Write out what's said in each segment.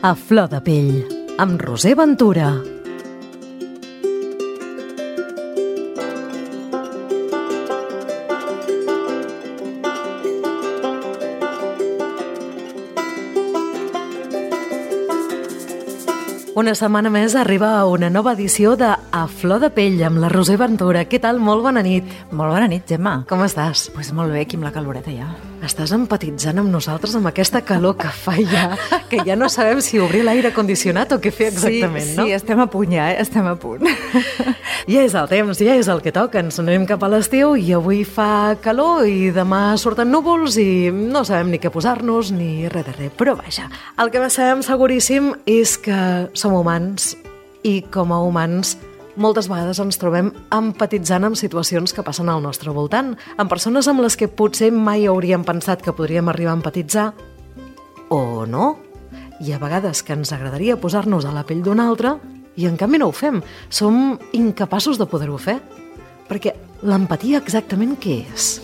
A flor de pell, amb Roser Ventura. Una setmana més arriba una nova edició de A flor de pell amb la Roser Ventura. Què tal? Molt bona nit. Molt bona nit, Gemma. Com estàs? Pues molt bé, aquí amb la caloreta ja. Estàs empatitzant amb nosaltres amb aquesta calor que fa ja, que ja no sabem si obrir l'aire condicionat o què fer exactament, no? Sí, estem a punt ja, estem a punt. Ja és el temps, ja és el que toca. Ens anem cap a l'estiu i avui fa calor i demà surten núvols i no sabem ni què posar-nos ni res de res. Però vaja, el que sabem seguríssim és que som humans i com a humans moltes vegades ens trobem empatitzant amb situacions que passen al nostre voltant, amb persones amb les que potser mai hauríem pensat que podríem arribar a empatitzar, o no. I a vegades que ens agradaria posar-nos a la pell d'un altre i en canvi no ho fem. Som incapaços de poder-ho fer. Perquè l'empatia exactament què és?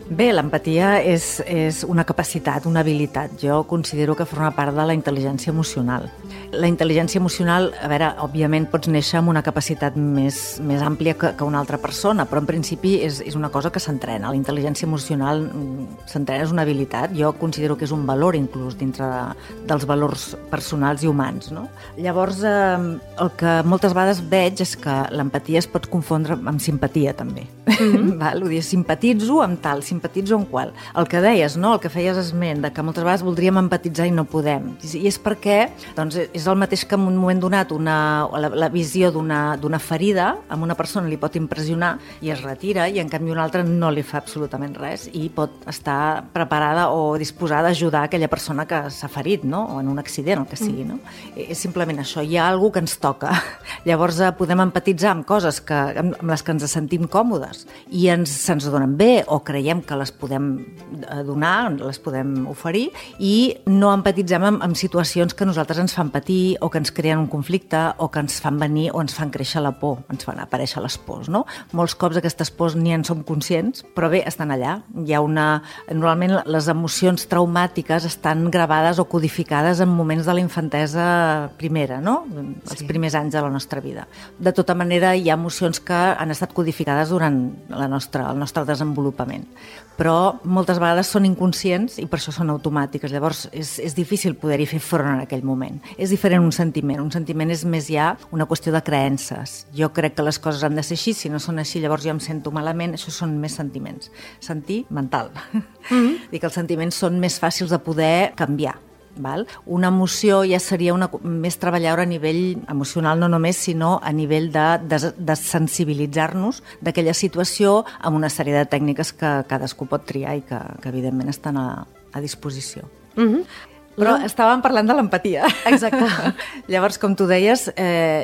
Bé, l'empatia és una capacitat, una habilitat. Jo considero que forma part de la intel·ligència emocional. La intel·ligència emocional, a veure, òbviament pots néixer amb una capacitat més àmplia que una altra persona, però en principi és una cosa que s'entrena. La intel·ligència emocional s'entrena, és una habilitat. Jo considero que és un valor inclús dintre dels valors personals i humans, no? Llavors, el que moltes vegades veig és que l'empatia es pot confondre amb simpatia, també. Val? Vull dir, simpatitzo amb tal, simpatitzo amb qual. El que deies, no? El que feies esment, de que moltes vegades voldríem empatitzar i no podem. I és perquè doncs, és el mateix que en un moment donat la visió d'una ferida amb una persona li pot impressionar i es retira i en canvi una altra no li fa absolutament res i pot estar preparada o disposada a ajudar aquella persona que s'ha ferit, no? O en un accident, el que sigui, no? És simplement això, hi ha alguna que ens toca. Llavors podem empatitzar amb coses amb les que ens sentim còmodes i se'ns donen bé o creiem que les podem donar, les podem oferir i no empatitzem amb situacions que a nosaltres ens fan patir o que ens creen un conflicte o que ens fan venir o ens fan créixer la por, ens fan aparèixer les pors, no? Molts cops aquestes pors ni en som conscients, però bé, estan allà. Hi ha normalment les emocions traumàtiques estan gravades o codificades en moments de la infantesa primera, no? Els primers anys de la nostra vida. De tota manera, hi ha emocions que han estat codificades durant el nostre desenvolupament, però moltes vegades són inconscients i per això són automàtiques. Llavors és difícil poder-hi fer front en aquell moment. És diferent un sentiment és més ja una qüestió de creences. Jo crec que les coses han de ser així, si no són així llavors jo em sento malament, això són més sentiments. Sentir mental. Dic que els sentiments són més fàcils de poder canviar. Val? Una emoció ja seria més treballar a nivell emocional, no només, sinó a nivell de sensibilitzar-nos d'aquella situació amb una sèrie de tècniques que cadascú pot triar i que evidentment estan a disposició. Però estàvem parlant de l'empatia. Exacte. Llavors, com tu deies,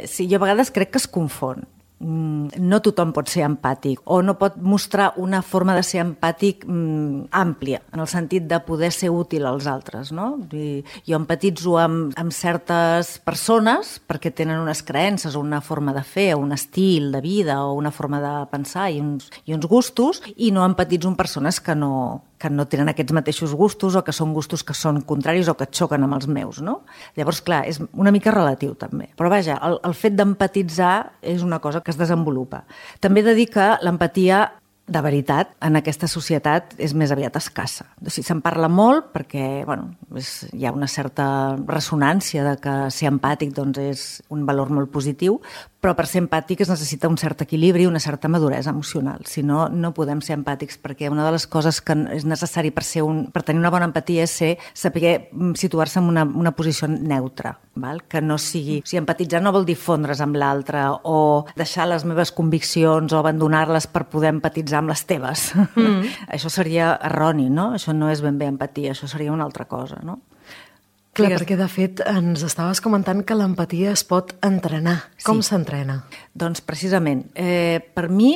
sí, jo a vegades crec que es confon. No tothom pot ser empàtic o no pot mostrar una forma de ser empàtic àmplia, en el sentit de poder ser útil als altres, no? Jo empatitzo amb certes persones perquè tenen unes creences o una forma de fer o un estil de vida o una forma de pensar i uns gustos i no empatitzo amb persones que no tenen aquests mateixos gustos o que són gustos que són contraris o que et xoquen amb els meus, no? Llavors, clar, és una mica relatiu també. Però vaja, el fet d'empatitzar és una cosa que es desenvolupa. També he de dir que l'empatia de veritat, en aquesta societat és més aviat escassa. O sigui, se'n parla molt perquè hi ha una certa ressonància de que ser empàtic doncs, és un valor molt positiu, però per ser empàtic es necessita un cert equilibri i una certa maduresa emocional. Si no, no podem ser empàtics, perquè una de les coses que és necessari per tenir una bona empatia és saber situar-se en una posició neutra, val? Que no sigui... O sigui, empatitzar no vol dir fondre's amb l'altre o deixar les meves conviccions o abandonar-les per poder empatitzar amb les teves. Això seria erroni, no? Això no és ben bé empatia, això seria una altra cosa, no? Clar, perquè de fet ens estaves comentant que l'empatia es pot entrenar. Com s'entrena? Doncs precisament, per mi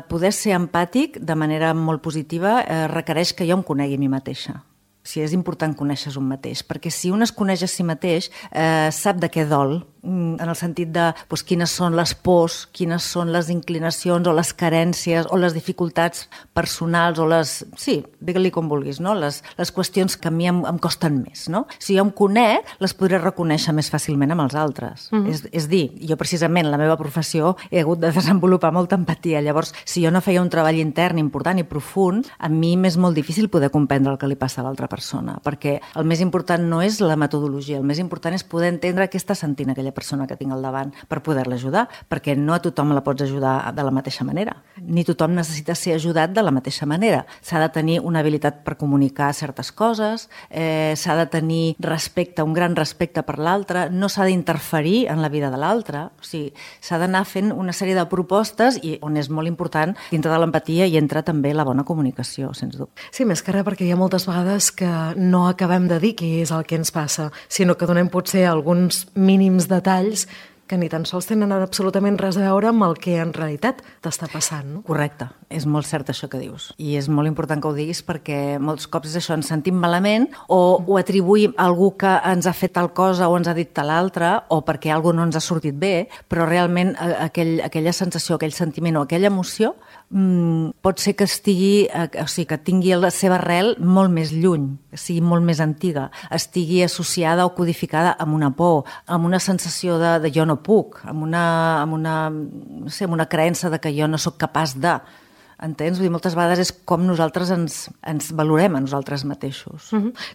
poder ser empàtic de manera molt positiva requereix que jo em conegui a mi mateixa. O sigui, és important conèixer un mateix, perquè si un es coneix a si mateix, sap de què dol en el sentit de quines són les pors, quines són les inclinacions o les carències o les dificultats personals o les... Sí, digue-li com vulguis, no? Les qüestions que a mi em costen més, no? Si jo em conec, les podré reconèixer més fàcilment amb els altres. És dir, jo precisament, la meva professió, he hagut de desenvolupar molta empatia. Llavors, si jo no feia un treball intern important i profund, a mi m'és molt difícil poder comprendre el que li passa a l'altra persona, perquè el més important no és la metodologia, el més important és poder entendre què està sentint aquella persona que tinc al davant per poder-la ajudar, perquè no a tothom la pots ajudar de la mateixa manera, ni tothom necessita ser ajudat de la mateixa manera. S'ha de tenir una habilitat per comunicar certes coses, s'ha de tenir respecte, un gran respecte per l'altre, no s'ha d'interferir en la vida de l'altre, o sigui, s'ha d'anar fent una sèrie de propostes i on és molt important, dintre de l'empatia hi entra també la bona comunicació, sens dubte. Sí, més que res perquè hi ha moltes vegades que no acabem de dir què és el que ens passa, sinó que donem potser alguns mínims detalls que ni tan sols tenen absolutament res a veure amb el que en realitat t'està passant, no? Correcte, és molt cert això que dius. I és molt important que ho diguis perquè molts cops és això, ens sentim malament o ho atribuïm a algú que ens ha fet tal cosa o ens ha dit tal altra o perquè alguna no ens ha sortit bé, però realment aquella sensació, aquell sentiment o aquella emoció pot ser que estigui, o sigui, que tingui la seva arrel molt més lluny, que sigui molt més antiga, estigui associada o codificada amb una por, amb una sensació de jo no puc, amb una creença de que jo no sóc capaç de... Entens? Vull dir, moltes vegades és com nosaltres ens valorem a nosaltres mateixos.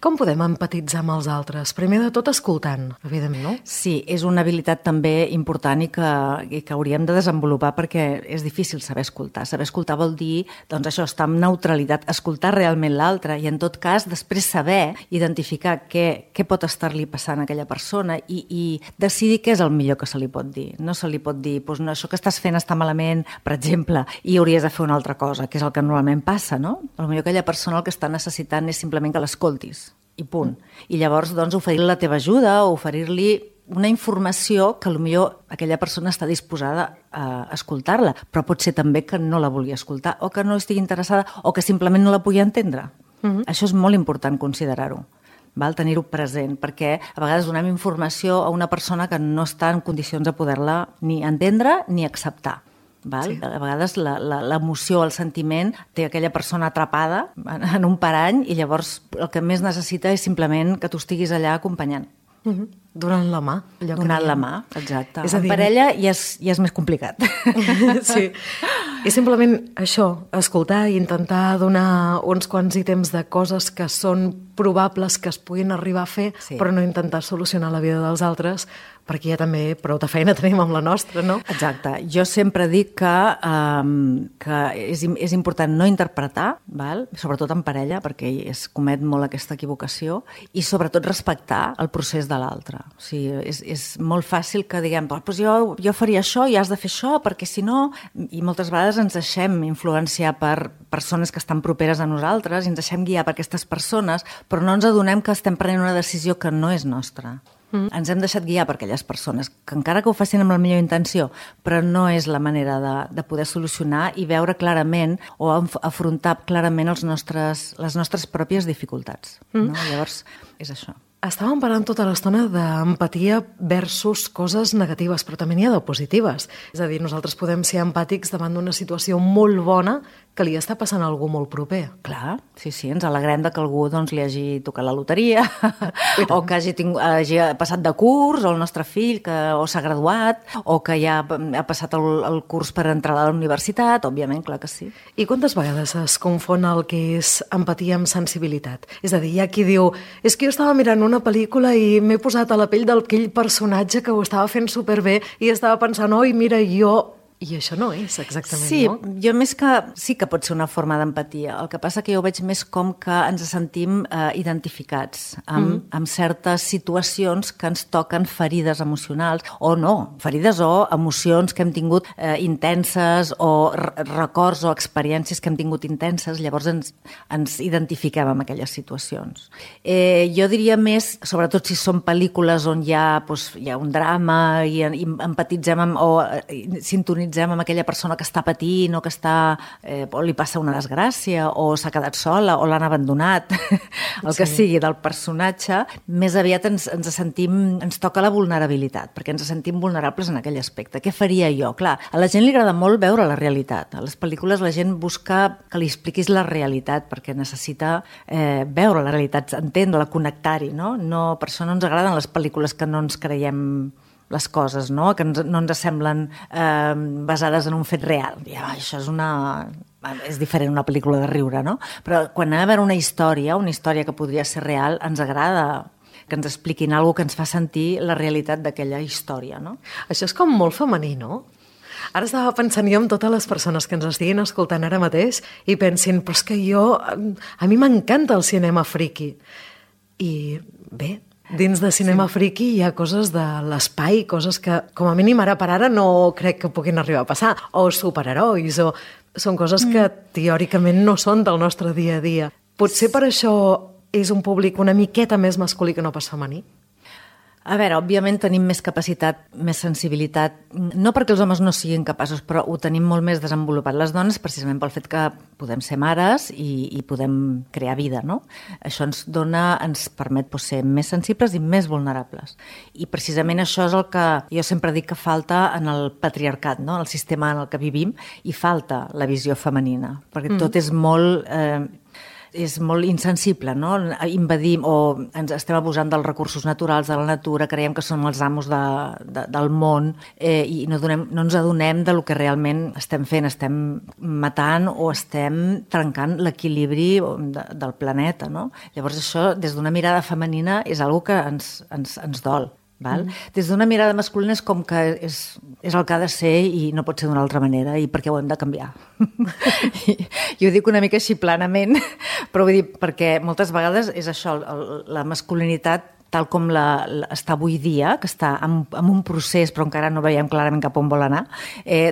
Com podem empatitzar amb els altres? Primer de tot escoltant, evidentment, no? Sí, és una habilitat també important i que hauríem de desenvolupar perquè és difícil saber escoltar. Saber escoltar vol dir, doncs això, estar en neutralitat, escoltar realment l'altre i en tot cas després saber identificar què pot estar-li passant a aquella persona i decidir què és el millor que se li pot dir. No se li pot dir, doncs no, això que estàs fent està malament, per exemple, i hauries de fer una altra cosa, que és el que normalment passa, no? Potser aquella persona el que està necessitant és simplement que l'escoltis, i punt. I llavors, doncs, oferir-li la teva ajuda o oferir-li una informació que potser aquella persona està disposada a escoltar-la, però pot ser també que no la vulgui escoltar o que no estigui interessada o que simplement no la pugui entendre. Això és molt important considerar-ho. Tenir-ho present, perquè a vegades donem informació a una persona que no està en condicions de poder-la ni entendre ni acceptar. Sí. A vegades l'emoció, el sentiment té aquella persona atrapada en un parany i llavors el que més necessita és simplement que tu estiguis allà acompanyant. Donant la mà. Donant la mà, exacte. En parella ja és més complicat. Sí. I simplement això, escoltar i intentar donar uns quants ítems de coses que són probables que es puguin arribar a fer, però no intentar solucionar la vida dels altres, perquè ja també prou de feina tenim amb la nostra, no? Exacte. Jo sempre dic que és important no interpretar, sobretot en parella, perquè es comet molt aquesta equivocació, i sobretot respectar el procés de l'altre. O sigui, és molt fàcil que diguem, doncs jo faria això i has de fer això, perquè si no... I moltes vegades ens deixem influenciar per persones que estan properes a nosaltres i ens deixem guiar per aquestes persones, però no ens adonem que estem prenent una decisió que no és nostra. Ens hem deixat guiar per aquelles persones que encara que ho facin amb la millor intenció, però no és la manera de poder solucionar i veure clarament o afrontar clarament les nostres pròpies dificultats. No? Llavors, és això. Estàvem parlant tota l'estona d'empatia versus coses negatives, però també n'hi ha de positives. És a dir, nosaltres podem ser empàtics davant d'una situació molt bona que li està passant a algú molt proper. Clar, sí, ens alegrem que algú li hagi tocat la loteria o que hagi passat de curs, o el nostre fill o s'ha graduat, o que ja ha passat el curs per entrar a la universitat, òbviament, clar que sí. I quantes vegades es confon el que és empatia amb sensibilitat? És a dir, hi ha qui diu, és que jo estava mirant una pel·lícula i m'he posat a la pell d'aquell personatge que ho estava fent superbé i estava pensant, oi, mira, jo... I això no és exactament, sí, no? Jo més que... Sí que pot ser una forma d'empatia. El que passa que jo ho veig més com que ens sentim identificats amb certes situacions que ens toquen ferides emocionals, o no, ferides o emocions que hem tingut intenses, o records o experiències que hem tingut intenses, llavors ens identifiquem amb aquelles situacions. Jo diria més, sobretot si són pel·lícules on hi ha un drama i empatitzem o sintonitzem empatitzem amb aquella persona que està patint o que o li passa una desgràcia o s'ha quedat sola o l'han abandonat, el que sigui del personatge, més aviat ens toca la vulnerabilitat, perquè ens sentim vulnerables en aquell aspecte. Què faria jo? Clar, a la gent li agrada molt veure la realitat. A les pel·lícules la gent busca que li expliquis la realitat perquè necessita veure la realitat, entendre-la, connectar-hi, no? Per això no ens agraden les pel·lícules que no ens creiem les coses, no? Que no ens semblen basades en un fet real. Això és diferent una pel·lícula de riure, no? Però quan ha d'haver una història que podria ser real, ens agrada que ens expliquin alguna cosa que ens fa sentir la realitat d'aquella història, no? Això és com molt femení, no? Ara estava pensant jo en totes les persones que ens estiguin escoltant ara mateix i pensin, però és que a mi m'encanta el cinema friqui. I bé, dins de cinema friqui hi ha coses de l'espai, coses que com a mínim ara per ara no crec que puguin arribar a passar, o superherois, o són coses que teòricament no són del nostre dia a dia. Potser per això és un públic una miqueta més masculí que no pas femení? A veure, òbviament tenim més capacitat, més sensibilitat, no perquè els homes no siguin capaços, però ho tenim molt més desenvolupat les dones precisament pel fet que podem ser mares i podem crear vida, no? Això ens permet ser més sensibles i més vulnerables. I precisament això és el que jo sempre dic que falta en el patriarcat, no? El sistema en el que vivim, i falta la visió femenina, perquè tot és molt insensible, no? Invadim o ens estem abusant dels recursos naturals de la natura, creiem que som els amos del món i no ens adonem del que realment estem fent, estem matant o estem trencant l'equilibri del planeta, no? Llavors això, des d'una mirada femenina, és una cosa que ens dol. Val? Des d'una mirada masculina és com que és el que ha de ser i no pot ser d'una altra manera i perquè ho hem de canviar. Jo ho dic una mica així planament, però vull dir, perquè moltes vegades és això, la masculinitat tal com està avui dia, que està en un procés però encara no veiem clarament cap on vol anar,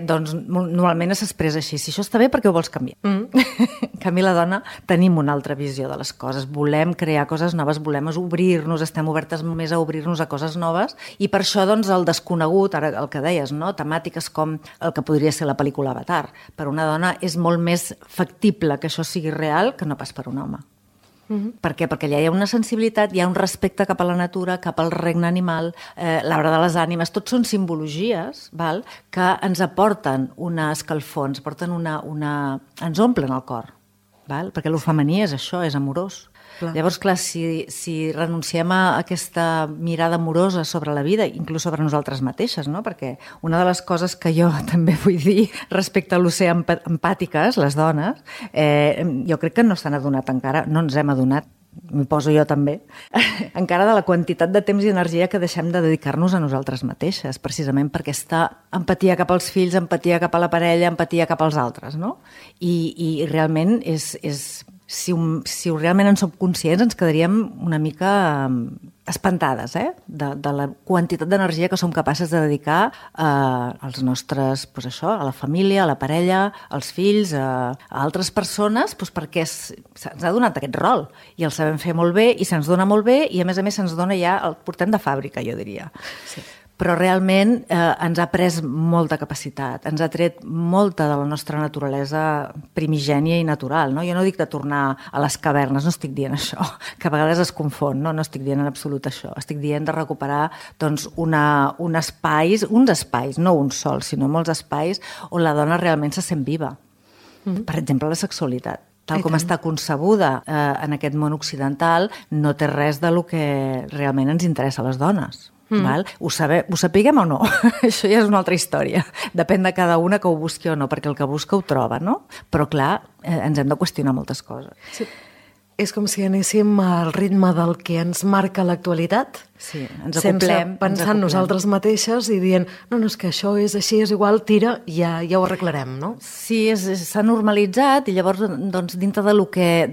doncs normalment s'expressa així. Si això està bé, per què ho vols canviar? En canvi, la dona tenim una altra visió de les coses. Volem crear coses noves, volem obrir-nos, estem obertes més a obrir-nos a coses noves i per això doncs, el desconegut, ara el que deies, no? Temàtiques com el que podria ser la pel·lícula Avatar. Per una dona és molt més factible que això sigui real que no pas per un home. Per què? Perquè allà hi ha una sensibilitat, hi ha un respecte cap a la natura, cap al regne animal, l'arbre de les ànimes, tots són simbologies, val? Que ens aporten una escalfor, ens ens omplen el cor, val? Perquè el femení és això, és amorós. Clar. Llavors, clar, si renunciem a aquesta mirada amorosa sobre la vida, inclús sobre nosaltres mateixes, no? Perquè una de les coses que jo també vull dir respecte a l'oceà empàtiques, les dones, jo crec que no s'han adonat encara, no ens hem adonat, m'hi poso jo també, encara de la quantitat de temps i energia que deixem de dedicar-nos a nosaltres mateixes, precisament per aquesta empatia cap als fills, empatia cap a la parella, empatia cap als altres, no? I realment si realment en som conscients, ens quedaríem una mica espantades de la quantitat d'energia que som capaces de dedicar als nostres, a la família, a la parella, als fills, a altres persones, perquè se'ns ha donat aquest rol i el sabem fer molt bé i se'ns dona molt bé i a més se'ns dona ja, el portem de fàbrica, jo diria. Sí. Però realment ens ha pres molta capacitat, ens ha tret molta de la nostra naturalesa primigènia i natural. No? Jo no dic de tornar a les cavernes, no estic dient això, que a vegades es confon, no estic dient en absolut això. Estic dient de recuperar doncs, uns espais, no un sol, sinó molts espais on la dona realment se sent viva. Per exemple, la sexualitat. Tal com està concebuda en aquest món occidental, no té res del que realment ens interessa a les dones. Val? Ho sapiguem o no? Això ja és una altra història. Depèn de cada una que ho busqui o no, perquè el que busca ho troba, no? Però clar, ens hem de qüestionar moltes coses. Sí. És com si anéssim al ritme del que ens marca l'actualitat, sí, ens acoplem, sense pensar en nosaltres mateixes i dient, no, és que això és així, és igual, tira, ja ho arreglarem, no? Sí, s'ha normalitzat i llavors, doncs, dintre de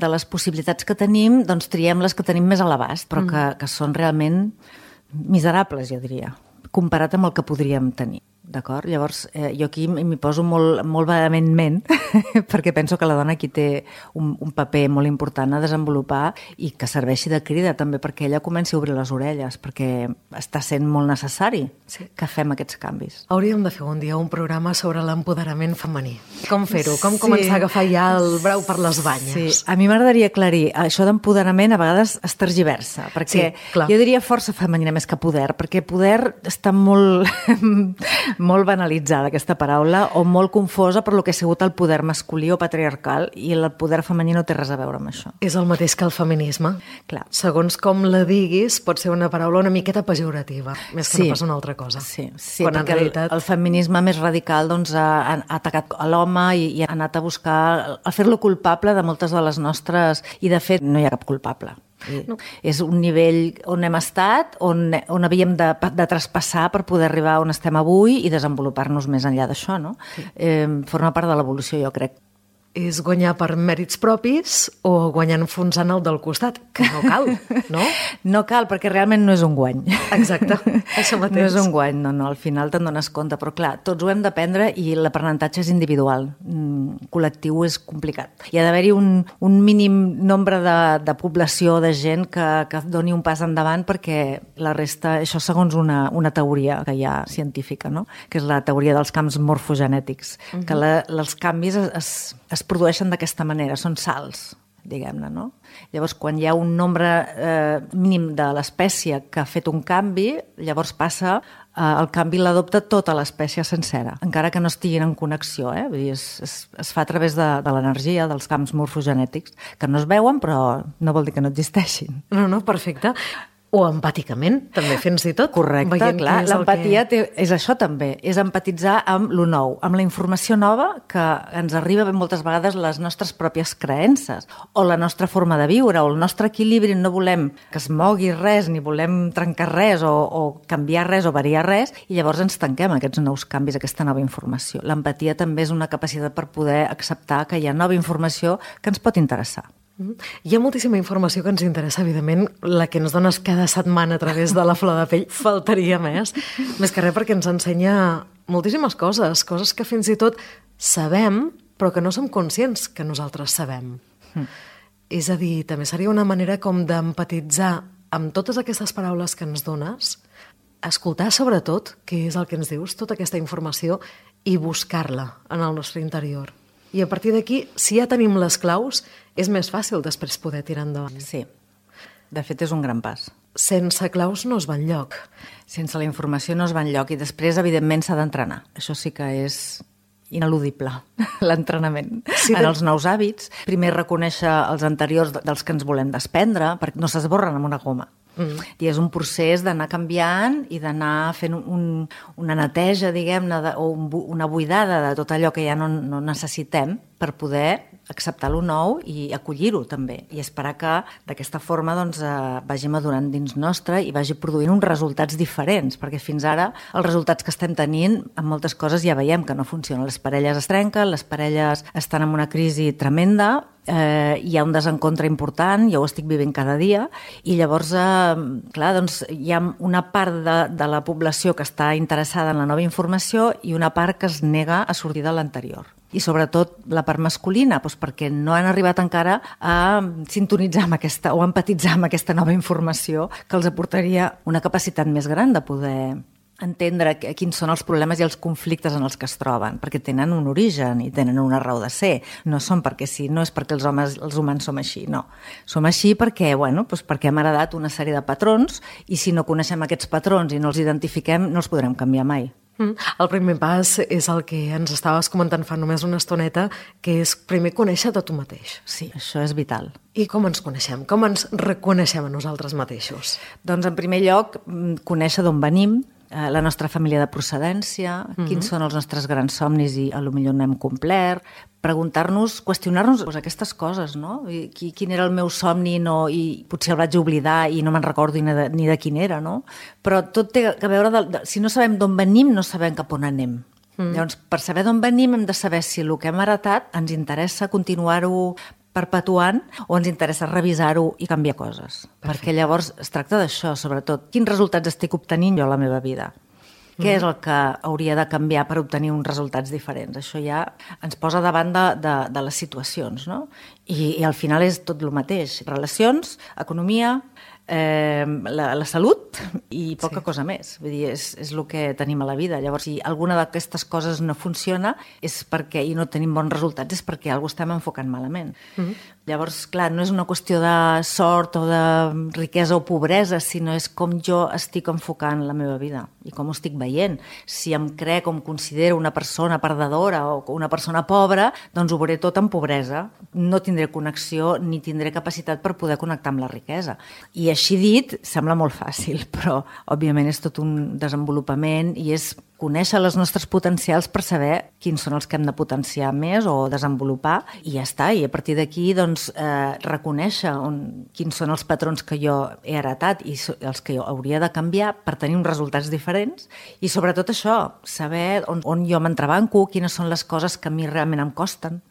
les possibilitats que tenim, doncs triem les que tenim més a l'abast, però que són realment miserables, jo diria, comparat amb el que podríem tenir. d'acord? Llavors, jo aquí m'hi poso molt vehementment perquè penso que la dona aquí té un paper molt important a desenvolupar i que serveixi de crida també perquè ella comenci a obrir les orelles, perquè està sent molt necessari que fem aquests canvis. Hauríem de fer un dia un programa sobre l'empoderament femení. Com fer-ho? Com començar a agafar ja el brau per les banyes? Sí, a mi m'agradaria aclarir, això d'empoderament a vegades es tergiversa, perquè jo diria força femenina més que poder, perquè poder està molt molt banalitzada aquesta paraula o molt confosa per lo que ha sigut el poder masculí o patriarcal i el poder femení no té res a veure amb això. És el mateix que el feminisme. Clar. Segons com la diguis, pot ser una paraula una miqueta pejorativa, més que no pas una altra cosa. Sí, quan perquè realitat... el feminisme més radical doncs, ha atacat a l'home i ha anat a buscar a fer-lo culpable de moltes de les nostres... I de fet no hi ha cap culpable. No. És un nivell on hem estat, on havíem de traspassar per poder arribar on estem avui i desenvolupar-nos més enllà d'això, no? Sí. Forma part de l'evolució, jo crec. És guanyar per mèrits propis o guanyar enfonsant el del costat, que no cal, no? No cal, perquè realment no és un guany. Exacte, això mateix. No és un guany, no, al final te'n dones compte, però clar, tots ho hem d'aprendre i l'aprenentatge és individual, col·lectiu és complicat. Hi ha d'haver-hi un mínim nombre de població, de gent que doni un pas endavant perquè la resta, això segons una teoria que hi ha científica, no? Que és la teoria dels camps morfogenètics, que els canvis es produeixen d'aquesta manera, són salts, diguem-ne, no? Llavors, quan hi ha un nombre mínim de l'espècie que ha fet un canvi, llavors passa, el canvi l'adopta tota l'espècie sencera, encara que no estiguin en connexió, Vull dir, es fa a través de l'energia, dels camps morfogenètics, que no es veuen, però no vol dir que no existeixin. No, perfecte. O empàticament, també fins i tot. Correcte, clar. L'empatia és això també, és empatitzar amb lo nou, amb la informació nova que ens arriba moltes vegades les nostres pròpies creences, o la nostra forma de viure, o el nostre equilibri. No volem que es mogui res, ni volem trencar res, o canviar res, o variar res, i llavors ens tanquem aquests nous canvis, aquesta nova informació. L'empatia també és una capacitat per poder acceptar que hi ha nova informació que ens pot interessar. Hi ha moltíssima informació que ens interessa, evidentment, la que ens dones cada setmana a través de la Flor de Pell, faltaria més que res perquè ens ensenya moltíssimes coses que fins i tot sabem, però que no som conscients que nosaltres sabem. És a dir, també seria una manera com d'empatitzar amb totes aquestes paraules que ens dones, escoltar sobretot què és el que ens dius, tota aquesta informació, i buscar-la en el nostre interior. I a partir d'aquí, si ja tenim les claus, és més fàcil després poder tirar endavant. Sí, de fet és un gran pas. Sense claus no es va enlloc. Sense la informació no es va enlloc i després, evidentment, s'ha d'entrenar. Això sí que és ineludible, l'entrenament. Sí, en els nous hàbits, primer reconèixer els anteriors dels que ens volem desprendre, perquè no s'esborren amb una goma. I és un procés d'anar canviant i d'anar fent una neteja, diguem-ne, o una buidada de tot allò que ja no necessitem per poder acceptar lo nou i acollir-ho també, i esperar que d'aquesta forma doncs, vagi madurant dins nostre i vagi produint uns resultats diferents, perquè fins ara els resultats que estem tenint en moltes coses ja veiem que no funcionen. Les parelles es trenquen, les parelles estan en una crisi tremenda, hi ha un desencontre important, jo ho estic vivint cada dia, i llavors clar, doncs, hi ha una part de la població que està interessada en la nova informació i una part que es nega a sortir de l'anterior. I sobretot la part masculina, doncs perquè no han arribat encara a sintonitzar amb aquesta, o a empatitzar amb aquesta nova informació que els aportaria una capacitat més gran de poder entendre quins són els problemes i els conflictes en els que es troben, perquè tenen un origen i tenen una raó de ser. No són perquè sí, no és perquè els humans som així, no. Som així perquè, perquè hem heredat una sèrie de patrons i si no coneixem aquests patrons i no els identifiquem, no els podrem canviar mai. El primer pas és el que ens estaves comentant fa només una estoneta, que és primer conèixer-te tu mateix. Sí, això és vital. I com ens coneixem? Com ens reconeixem a nosaltres mateixos? Doncs, en primer lloc, conèixer d'on venim, la nostra família de procedència, quins són els nostres grans somnis i potser no hem complert, preguntar-nos, qüestionar-nos aquestes coses, no? Quin era el meu somni i potser el vaig oblidar i no me'n recordo ni de quin era, no? Però tot té a veure, si no sabem d'on venim, no sabem cap on anem. Llavors, per saber d'on venim hem de saber si el que hem heretat ens interessa continuar-ho perpetuant o ens interessa revisar-ho i canviar coses. Perfecte. Perquè llavors es tracta d'això, sobretot. Quins resultats estic obtenint jo a la meva vida? Què és el que hauria de canviar per obtenir uns resultats diferents? Això ja ens posa davant de les situacions, no? I al final és tot el mateix. Relacions, economia, la salut i poca cosa més. Vull dir, és el que tenim a la vida. Llavors, si alguna d'aquestes coses no funciona és perquè, i no tenim bons resultats, és perquè alguna estem enfocant malament. Llavors, clar, no és una qüestió de sort o de riquesa o pobresa, sinó és com jo estic enfocant la meva vida i com ho estic veient. Si em crec o em considero una persona perdedora o una persona pobra, doncs ho veuré tot en pobresa. No tindré connexió ni tindré capacitat per poder connectar amb la riquesa. I així dit, sembla molt fàcil, però òbviament és tot un desenvolupament i és conèixer els nostres potencials per saber quins són els que hem de potenciar més o desenvolupar i ja està. I a partir d'aquí doncs, reconèixer quins són els patrons que jo he heretat i els que jo hauria de canviar per tenir uns resultats diferents i sobretot això, saber on jo m'entrebanco, quines són les coses que a mi realment em costen.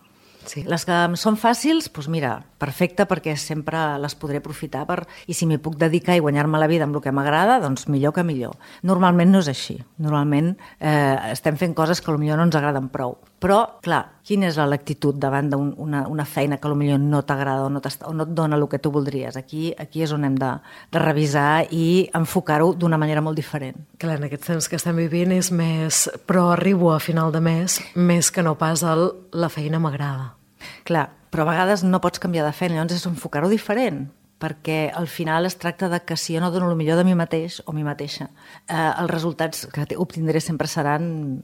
Sí. Les que em són fàcils, doncs mira, perfecte, perquè sempre les podré aprofitar i si m'hi puc dedicar i guanyar-me la vida amb el que m'agrada, doncs millor que millor. Normalment no és així. Normalment estem fent coses que potser no ens agraden prou. Però, clar, quina és l'actitud davant d'una feina que potser no t'agrada o no et dona el que tu voldries? Aquí és on hem de revisar i enfocar-ho d'una manera molt diferent. Clar, en aquests temps que estem vivint és més però arribo a final de mes més que no pas la feina m'agrada. Clar, però a vegades no pots canviar de feina, llavors és enfocar-ho diferent, perquè al final es tracta de que si jo no dono el millor de mi mateix o mi mateixa, els resultats que obtindré sempre seran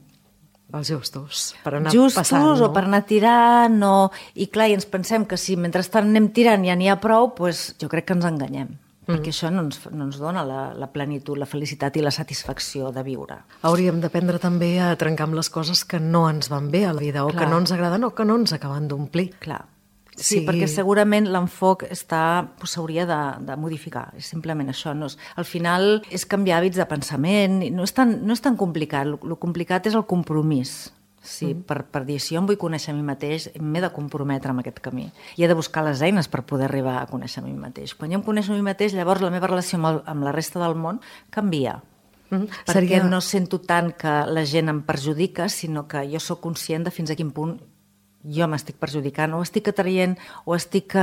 els justos, per anar justos passant, no? O per anar tirant, i clar, i ens pensem que si mentrestant anem tirant ja n'hi ha prou, doncs jo crec que ens enganyem. Perquè això no ens dona la plenitud, la felicitat i la satisfacció de viure. Hauríem d'aprendre també a trencar amb les coses que no ens van bé a la vida, o que no ens agraden o que no ens acaben d'omplir. Clar. Sí, perquè segurament l'enfoc s'hauria de modificar, és simplement això. Al final és canviar hàbits de pensament, no és tan complicat, el complicat és el compromís. Sí, per dir, si jo em vull conèixer a mi mateix, m'he de comprometre amb aquest camí. I he de buscar les eines per poder arribar a conèixer a mi mateix. Quan jo em coneixo a mi mateix, llavors la meva relació amb la resta del món canvia. Perquè no sento tant que la gent em perjudica, sinó que jo sóc conscient de fins a quin punt jo m'estic perjudicant, o estic atraient, o estic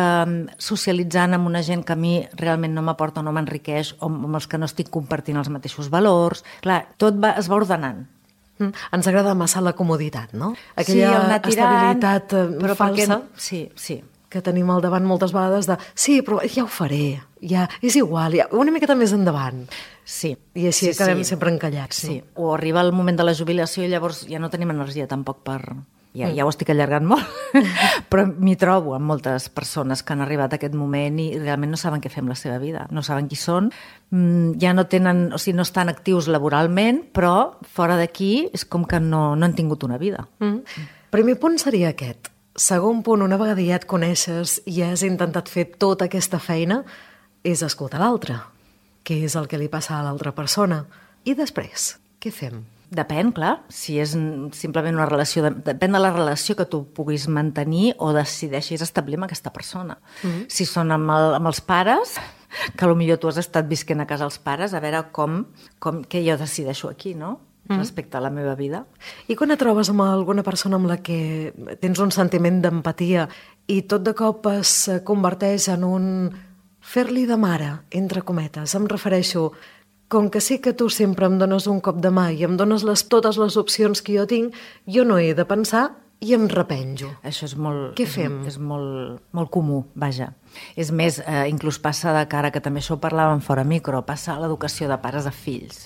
socialitzant amb una gent que a mi realment no m'aporta o no m'enriqueix, o amb els que no estic compartint els mateixos valors. Clar, tot es va ordenant. Ens agrada massa la comoditat, no? Aquella estabilitat falsa que tenim al davant moltes vegades de sí, però ja ho faré, ja és igual, ja, una miqueta més endavant. Sí. I així acabem sempre encallats. Sí. O arriba el moment de la jubilació i llavors ja no tenim energia tampoc per... Ja ho estic allargant molt, però m'hi trobo amb moltes persones que han arribat a aquest moment i realment no saben què fer amb la seva vida, no saben qui són, ja no tenen, o sigui, no estan actius laboralment, però fora d'aquí és com que no han tingut una vida. Primer punt seria aquest. Segon punt, una vegada ja et coneixes i has intentat fer tota aquesta feina, és escoltar l'altre. Què és el que li passa a l'altra persona? I després, què fem? Depèn, clar, si és simplement una relació, depèn de la relació que tu puguis mantenir o decideixis establir amb aquesta persona. Si són amb els pares, que potser tu has estat visquent a casa els pares, a veure què jo decideixo aquí, no? Respecte a la meva vida. I quan et trobes amb alguna persona amb la que tens un sentiment d'empatia i tot de cop es converteix en un fer-li de mare, entre cometes, em refereixo... Com que sé que tu sempre em dones un cop de mà i em dones totes les opcions que jo tinc, jo no he de pensar i em repenjo. Això és molt... Què fem? És molt comú, vaja. És més, inclús passa de cara, que també això ho parlàvem fora micro, passa a l'educació de pares a fills.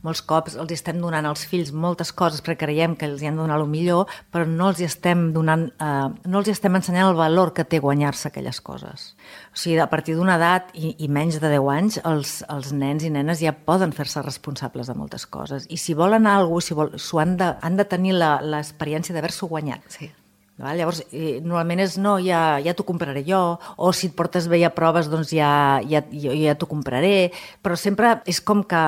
Molts cops els estem donant als fills moltes coses perquè creiem que els hi han de donar el millor, però no els hi estem donant, no els hi estem ensenyant el valor que té guanyar-se aquelles coses. O sigui, a partir d'una edat i menys de 10 anys, els nens i nenes ja poden fer-se responsables de moltes coses. I si volen alguna cosa, han de tenir l'experiència d'haver-s'ho guanyat. Sí. Llavors, normalment és no, ja t'ho compraré jo, o si et portes bé a proves, doncs ja t'ho compraré, però sempre és com que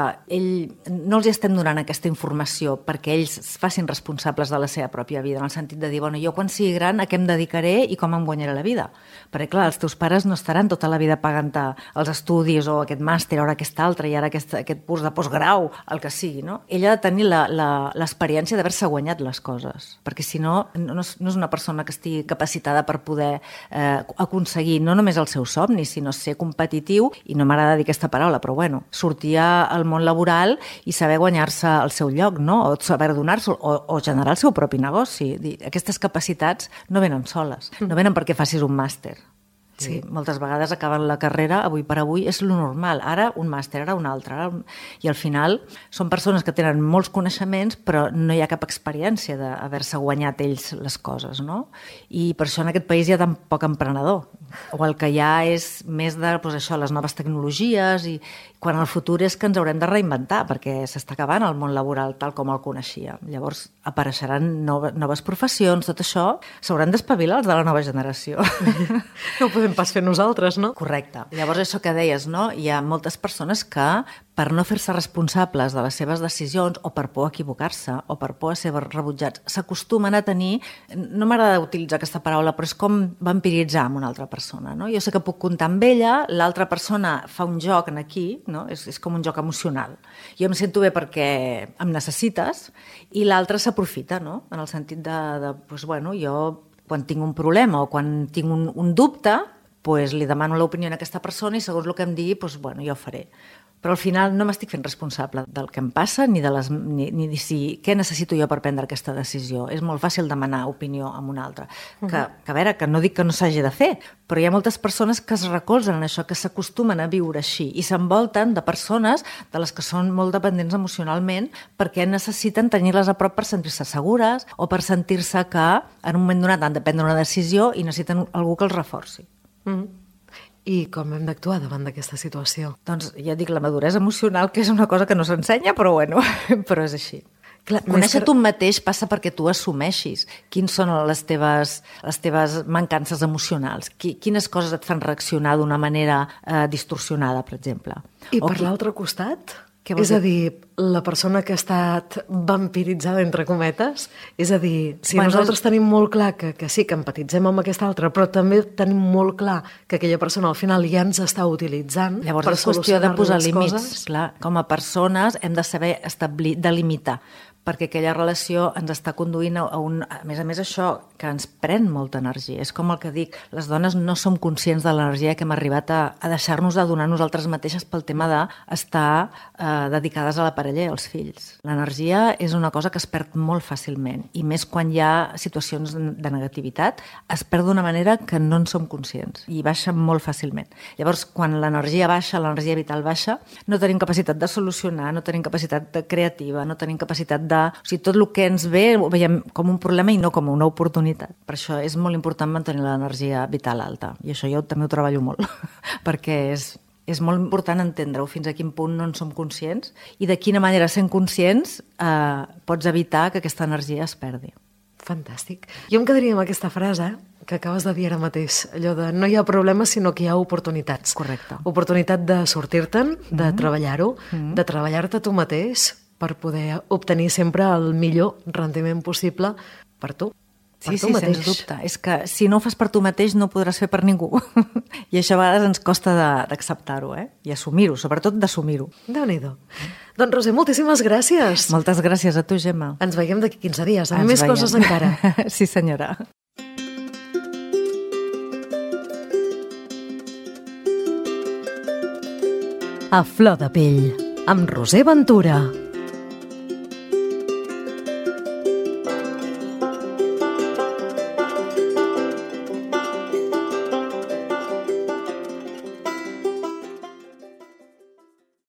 no els estem donant aquesta informació perquè ells es facin responsables de la seva pròpia vida, en el sentit de dir, bueno, jo quan sigui gran a què em dedicaré i com em guanyaré la vida. Perquè, clar, els teus pares no estaran tota la vida pagant-te els estudis o aquest màster, o ara aquest altre, i ara aquest curs de postgrau, el que sigui, no? Ella ha de tenir l'experiència d'haver-se guanyat les coses, perquè si no, no és una persona que estigui capacitada per poder aconseguir no només el seu somni, sinó ser competitiu, i no m'agrada dir aquesta paraula, però bueno, sortir al món laboral i saber guanyar-se el seu lloc, no? O saber donar-se, o generar el seu propi negoci. Aquestes capacitats no venen soles, no venen perquè facis un màster. Sí, moltes vegades acaben la carrera, avui per avui, és lo normal. Ara un màster, ara un altre. I al final són persones que tenen molts coneixements, però no hi ha cap experiència d'haver-se guanyat ells les coses, no? I per això en aquest país hi ha tan poc emprenedor. O el que hi ha és més de les noves tecnologies, i quan el futur és que ens haurem de reinventar, perquè s'està acabant el món laboral tal com el coneixia. Llavors apareixeran noves professions, tot això s'hauran d'espavilar els de la nova generació. No ho podem pas fer nosaltres, no? Correcte. Llavors, això que deies, no? Hi ha moltes persones que, per no fer-se responsables de les seves decisions, o per por a equivocar-se, o per por a ser rebutjats, s'acostumen a tenir, no m'agrada utilitzar aquesta paraula, però és com vampiritzar amb una altra persona, no? Jo sé que puc comptar amb ella, l'altra persona fa un joc aquí, no? És com un joc emocional. Jo em sento bé perquè em necessites, i l'altre s'aprofita, no? En el sentit doncs, bueno, jo quan tinc un problema o quan tinc un dubte, doncs li demano l'opinió a aquesta persona i segons el que em digui, doncs, bueno, jo ho faré. Però al final no m'estic fent responsable del que em passa ni de què necessito jo per prendre aquesta decisió. És molt fàcil demanar opinió a un altre. Que a veure, que no dic que no s'hagi de fer, però hi ha moltes persones que es recolzen en això, que s'acostumen a viure així i s'envolten de persones de les que són molt dependents emocionalment perquè necessiten tenir-les a prop per sentir-se segures o per sentir-se que en un moment donat han de prendre una decisió i necessiten algú que els reforci. I com hem d'actuar davant d'aquesta situació? Doncs ja dic, la maduresa emocional, que és una cosa que no s'ensenya, però bueno, però és així. Clar, conèixer tu mateix passa perquè tu assumeixis quines són les teves mancances emocionals, quines coses et fan reaccionar d'una manera distorsionada, per exemple. I per l'altre costat? És a dir, la persona que ha estat vampiritzada, entre cometes, és a dir, si nosaltres tenim molt clar que sí, que empatitzem amb aquesta altra, però també tenim molt clar que aquella persona al final ja ens està utilitzant. Llavors és qüestió de posar límits. Clar, com a persones hem de saber establir, delimitar, perquè aquella relació ens està conduint a més a més això, que ens pren molta energia. És com el que dic, les dones no som conscients de l'energia que hem arribat a deixar-nos de donar nosaltres mateixes pel tema d'estar dedicades a la parella i als fills. L'energia és una cosa que es perd molt fàcilment, i més quan hi ha situacions de negativitat, es perd d'una manera que no en som conscients i baixa molt fàcilment. Llavors, quan l'energia baixa, l'energia vital baixa, no tenim capacitat de solucionar, no tenim capacitat creativa, no tenim capacitat o sigui, tot el que ens ve ho veiem com un problema i no com una oportunitat. Per això és molt important mantenir l'energia vital alta. I això jo també ho treballo molt, perquè és molt important entendre-ho fins a quin punt no en som conscients i de quina manera, sent conscients, pots evitar que aquesta energia es perdi. Fantàstic. Jo em quedaria amb aquesta frase que acabes de dir ara mateix, allò de no hi ha problemes sinó que hi ha oportunitats. Correcte. Oportunitat de sortir-te'n, de treballar-ho, de treballar-te tu mateix per poder obtenir sempre el millor rendiment possible per tu. Sí, sens dubte. És que si no ho fas per tu mateix no ho podràs fer per ningú. I això a vegades ens costa d'acceptar-ho, i assumir-ho, sobretot d'assumir-ho. Déu-n'hi-do. Doncs, Roser, moltíssimes gràcies. Moltes gràcies a tu, Gemma. Ens veiem d'aquí 15 dies, amb més coses encara. Sí, senyora. A flor de pell, amb Roser Ventura.